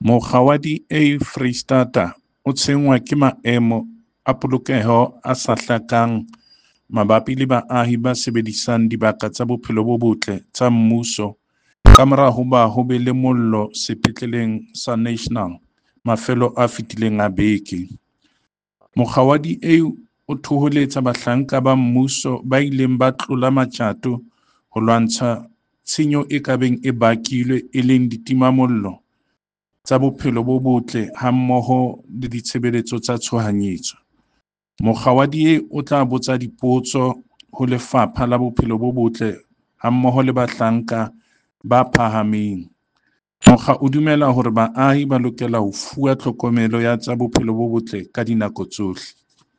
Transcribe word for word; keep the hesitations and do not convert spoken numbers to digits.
Mokga wa D A Freistata o tshwenngwa ke maemo a polokeho a sa hlakang mabapi le baahi ba sebedisang dibaka tsa bophelo bo botle tsa mmuso kamora hoba ho be le mollo Sepetleleng sa National mafelong a fetileng a beke. Mokga wa D A o thoholetsa bahlanka ba mmuso ba ileng ba tlola matjato ho lwantsha tshenyo e ka beng e bakilwe e leng ditimamollo, tsa bophelo bo botle hammoho le ditshebeletso tsa tshohanyetso. Mokga wa D A o tla botsa dipotso ho Lefapha la Bophelo bo Botle hammoho le bahlanka ba phahameng. Mokga o dumela hore baahi ba lokela ho fuwa tlhokomelo ya tsa bophelo bo botle ka dinako tsohle.